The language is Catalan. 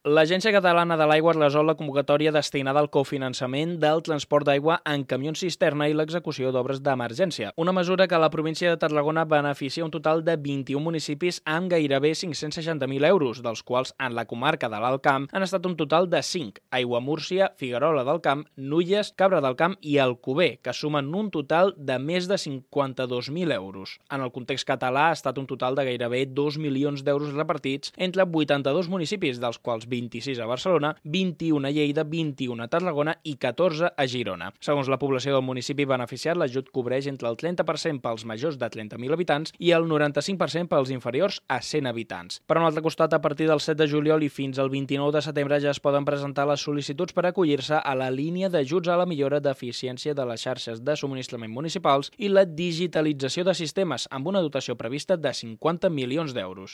L'Agència Catalana de l'Aigua resol la convocatòria destinada al cofinançament del transport d'aigua en camions cisterna i l'execució d'obres d'emergència. Una mesura que a la província de Tarragona beneficia un total de 21 municipis amb gairebé 560.000 euros, dels quals en la comarca de l'Alt Camp han estat un total de 5: Aiguamúrcia, Figuerola del Camp, Nulles, Cabra del Camp i Alcover, que sumen un total de més de 52.000 euros. En el context català ha estat un total de gairebé 2 milions d'euros repartits entre 82 municipis, dels quals 26 a Barcelona, 21 a Lleida, 21 a Tarragona i 14 a Girona. Segons la població del municipi beneficiat, l'ajut cobreix entre el 30% pels majors de 30.000 habitants i el 95% pels inferiors a 100 habitants. Per un altre costat, a partir del 7 de juliol i fins al 29 de setembre ja es poden presentar les sol·licituds per acollir-se a la línia d'ajuts a la millora d'eficiència de les xarxes de subministrament municipals i la digitalització de sistemes, amb una dotació prevista de 50 milions d'euros.